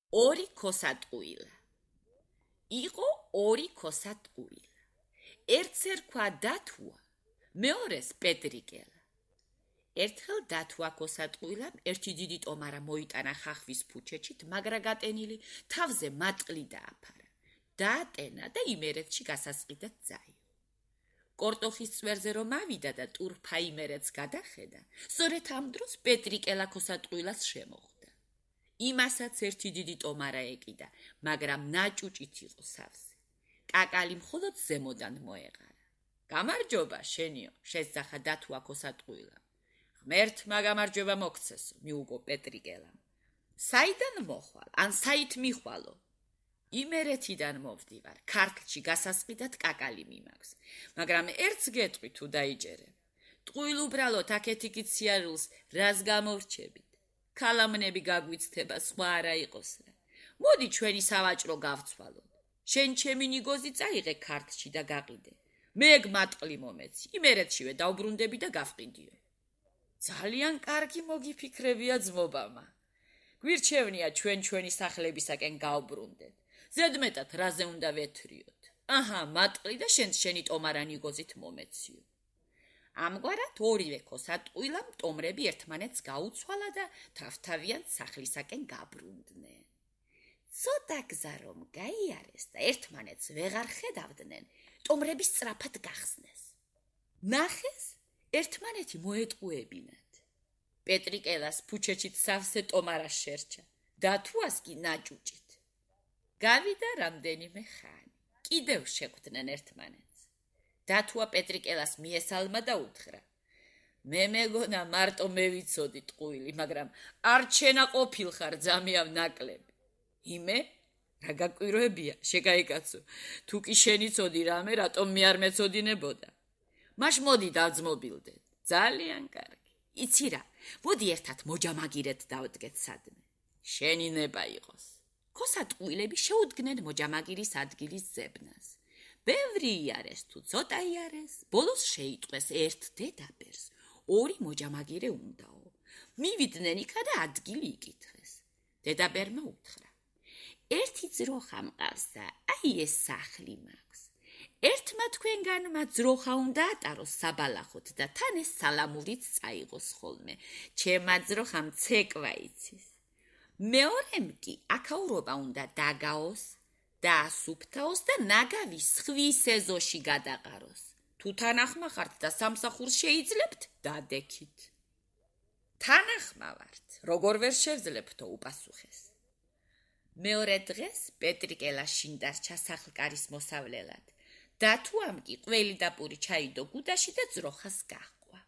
ორი ქოსატყუილა. იყო ორი ქოსატყუილა. ერთს ერქვა დათუა, მეორეს პეტრიკელა. ერთხელ დათუა ქოსატყუილამ ერთი დიდი ტომარა მოიტანა ხახვის ფუჩეჩით, მაგრა გატენილი თავზე მატყლი დააფარა. დაატენა და იმერეთში გასასყიდად წაიღო. კორტოხის წვერზე რომ ავიდა და ტურფა იმერეთს გადახედა, სწორედ ამ დროს პეტრიკელა ქოსატყუილას შემოხვდა. იმასაც ერთი დიდი ტომარა ეკიდა, მაგრამ ნაჭუჭით იყო სავსე. კაკალი მხოლოდ ზემოდან მოეღარა. გამარჯობა, შენიო, შესძახა დათუა ქოსატყუილამ. ღმერთმა გამარჯობა მოგცესო, მიუგო პეტრიკელამ. საიდან მოხვალ, ან საით მიხვალო? იმერეთიდან მოვდივარ, ქართლში გასასყიდად კაკალი მიმაქვს, მაგრამ ერთს გეტყვი თუ დაიჯერებ. ტყუილ უბრალოდ აქეთ-იქით სიარულს რას გამორჩებით? ქალამნები გაგვიცდება, სხვა არა იყოს რა. მოდი ჩვენი სავაჭრო გავცვალოთ. შენ ჩემი ნიგოზი წაიღე ქართლში და გაყიდე. მე მატყლი მომეცი, იმერეთშივე დავბრუნდები და გავყიდიო. ძალიან კარგი მოგიფიქრებია ძმობამა. გვირჩევნია ჩვენი სახლებისაკენ გავბრუნდეთ. ზედმეტად რაზე უნდა ვეთრიოთ. აჰა, მატყლი და შენი ტომარა ნიგოზით მომეციო. ამგვარად ორივე ქოსატყუილამ ტომრები ერთმანეთს გაუცვალა და თავთავიან სახლისაკენ გაბრუნდნენ. ცოტა გზა რომ გაიარეს და ერთმანეთს ვეღარ ხედავდნენ, ტომრები სწრაფად გახსნეს. ნახეს, ერთმანეთი მოეტყუებინათ. პეტრიკელას ფუჩეჩით სავსე ტომარა შერჩა, დათუას კი ნაჭუჭით. გავიდა რამდენიმე ხანი, კიდევ შეხვდნენ ერთმანეთს. დათუა პეტრიკელას მიესალმა და უთხრა: მე მეგონა მარტო მე ვიცოდი ტყუილი, მაგრამ არ ჩენა ყოფილხარ ძამიავ ნაკლები. იმე? რა გაკვირვებია, შეგაიკაცო, თუ კი შენი ცოდი რამე, რატომ მე არ მეცოდინებოდა? მაშ მოდი დავძმობილდეთ. ძალიან კარგი. იცი რა, მოდი ერთად მოჯამაგირეთ დავდგეთ სადმე. შენი ნება იყოს. ქოსატყუილები შეუდგნენ მოჯამაგირის ადგილის ზებნას. ბევრი იარეს თუ ცოტა იარეს, ბოლოს შეიტყვეს ერთ დედაბერს, ორი მოჯამაგირე უნდაო. მივიდნენ იქა და ადგილი იკითხეს. დედაბერმა უთხრა: ერთი ძროხა მყავს და აი ეს სახლი მაქვს. ერთმა თქვენგანმა ძროხა უნდა ატაროს საბალახოთ და თან ეს სალამურიც წაიღოს ხოლმე. ჩემმა ძროხამ ცეკვა იცის. მეორემ კი აქაურობა უნდა დაგაოს, დაასუფთავოს და ნაგავის ხვის ეზოში გადაყაროს. თუ თანახმა ხართ და სამსახურს შეიძლებთ, დადექით. თანახმა ვართ, როგორ ვერ შევძლებთო, უპასუხეს. მეორე დღეს პეტრიკელა შინ დარჩა სახლკარის მოსავლელად. დათუამ კი ყველი და პური ჩაიდო გუდაში და ძროხას გაჰყვა.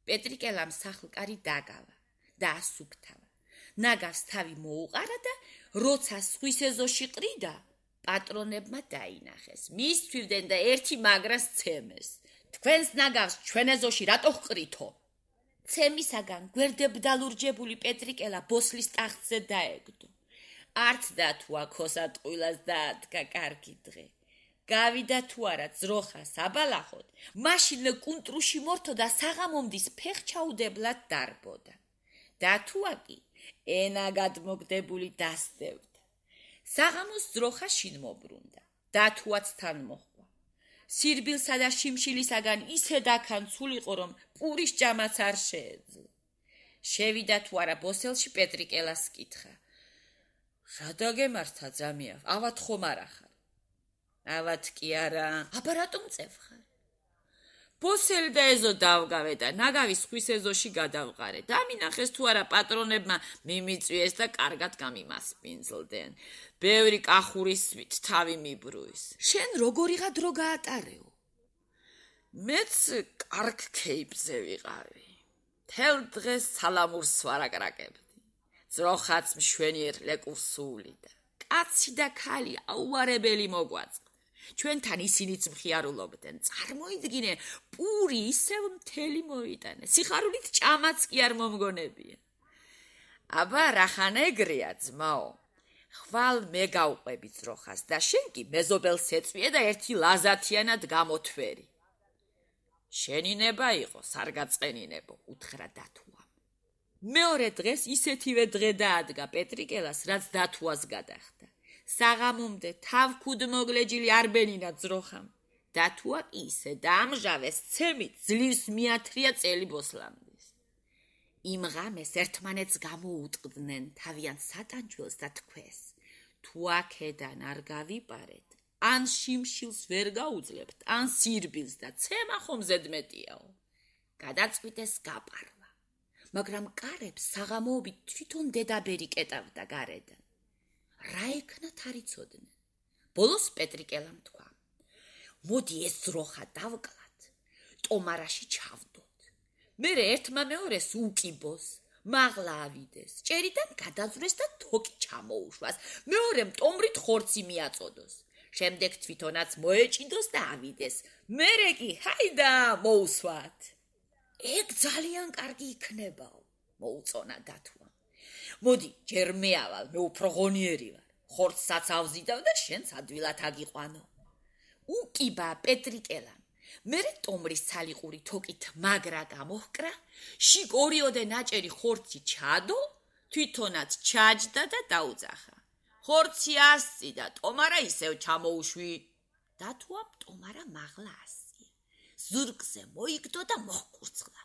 პეტრიკელამ სახლკარი დაგავა და ასუფთავა. ნაგავს თავი მოუყარა და როცა სხვის ეზოში ყრიდა, პატრონებმა დაინახეს. მისთვივდნენ და ერთი მაგრას ცემეს. თქვენს ნაგავს ჩვენ ეზოში რატო ჰყრითო? ცემისაგან გვერდებდალურჯებული პეტრიკელა ბოსლის ტახტზე დაეგდო. არც დათუა ქოსატყუილას დაადგა კარგი დღე. გავიდა თუ არა ძროხა საბალახოთ, მაშინ კუნტრუში მორთო და საღამომდის ფეხჩაუდებლად დარბოდა. დათუა კი ენა გადმოგდებული დასდევდა. საღამოს ძროხა შინ მობრუნდა. დათუაც თან მოჰყვა. სირბილსა და შიმშილისაგან ისე დაქანცულიყო, რომ პურის ჭამაც არ შეეძლო. შევიდა თუ არა ბოსელში პეტრიკელას კითხა: რა დაგემართა ძამიავ, ავად ხომ არა ხარ? ავად კი არა. აბა რატომ წევხარ? ბოსელი და ეზო დავგავე და ნაგავის ხვის ეზოში გადავყარე. დამინახეს თუ არა პატრონებმა მიმიწვიეს და კარგად გამიმასპინძლდნენ. ბევრი კახურისვით თავი მიბრუის. შენ როგორიღა დრო გაატარეო? მეც კარგ ქეიფზე ვიყავი. თელ დღეს სალამურს ვარაკრაკებდი. ძროხაც მშვენიერ ლეკურს სულიდა. კაცი და ქალი აუარებელი მოგვაწყდა. ჩვენთან ისინიც მხიარულობდნენ. წარმოიდგინე, პური ისევ მთელი მოიტანე. სიხარულით ჭამაც კი არ მომგონებია. აბა რახან ეგრეა ძმაო. ხვალ მე გავყვები ძროხას და შენ კი მეზობელს ეწვიე და ერთი ლაზათიანად გამოთვერი. შენი ნება იყოს, არ გაწყენინებო, უთხრა დათუამ. მეორე დღეს ისეთივე დღე დაადგა პეტრიკელას, რაც დათვას გადახდა. საღამომდე თავქუდ მოგლეჯილი არბენინა ძროხამ. დათვა ისე დაამჟავეს ცემით ძლივს მიათრია წელი ბოსლამდის. იმ ღამეს ერთმანეთს გამოუტყდნენ თავიანთ სატანჯველს და თქვეს, თუ აქედან არ გავიპარეთ, ან შიმშილს ვერ გაუძლებთ, ან სირბილს და ცემა ხომ ზედმეტიაო. გადაწყვიტეს გაპარვა, მაგრამ კარებს საღამოობით თვითონ დედაბერი კეტავდა გარედან. რა ექნათ არ იცოდნენ. ბოლოს პეტრიკელამ თქვა, მოდი ეს ძროხა დავკლათ, ტომარაში ჩავდოთ. მერე ერთმა მეორეს უკიბოს, მაღლა ავიდეს, ჭერიდან გადაძვრეს და თოკი ჩამოუშვას, მეორემ ტომრით ხორცი მიაწოდოს. შემდეგ თვითონაც მოეჭიდოს და ავიდეს, მერე კი ჰაიდა მოусვათ. ეგ ძალიან კარგი იქნებაო, მოუწონა დათვა. მოდი, ჯერ მე ავალ, მე უფრო ღონიერი ვარ. ხორცსაც ავზიდავ და შენც ადვილად აგიყვანო. უკიბა პეტრიკელამ. მერე ტომრის ცალიყური თოკით მაგრა გამოჰკრა, შიგ ორიოდე ნაჭერი ხორცი ჩადო, თვითონაც ჩაჯდა და დაუძახა. ხორცი ასწი და ტომარა ისევ ჩამოუშვი. დათვამ ტომარა მაღლა ასწია. ზურგზე მოიგდო და მოჰკურცხლა.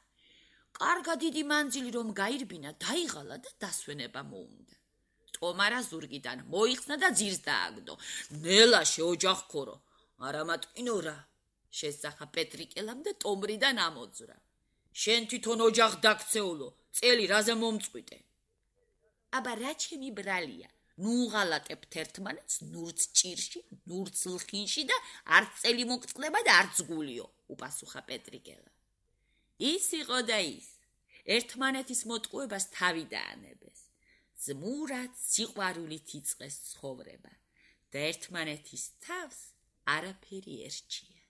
კარგა დიდი მანძილი რომ გაირბინა, დაიღალა და დასვენება მოუნდა. ტომარა ზურგიდან მოიხსნა და ძირს დააგდო. ნელა შეოჯახქორო, არამატკინორა. შესახა პეტრიკელამ და ტომრიდან ამოძვრა. შენ თვითონ ოჯახ დაქცეულო, წელი რაზე მომწყვიტე. აბა რა ჩემი ბრალია, ნუ ღალატებთ ერთმანეთს ნურც ჭირში, ნურც ლხინში და არც წელი მოგწყდება და არც გულიო, უპასუხა პეტრიკელა. ის იყო და ის, ერთმანეთის მოტყუებას თავი დაანებეს. ძმურად სიყვარულით იწყეს ცხოვრება და ერთმანეთის თავს არაფერი ერჩია.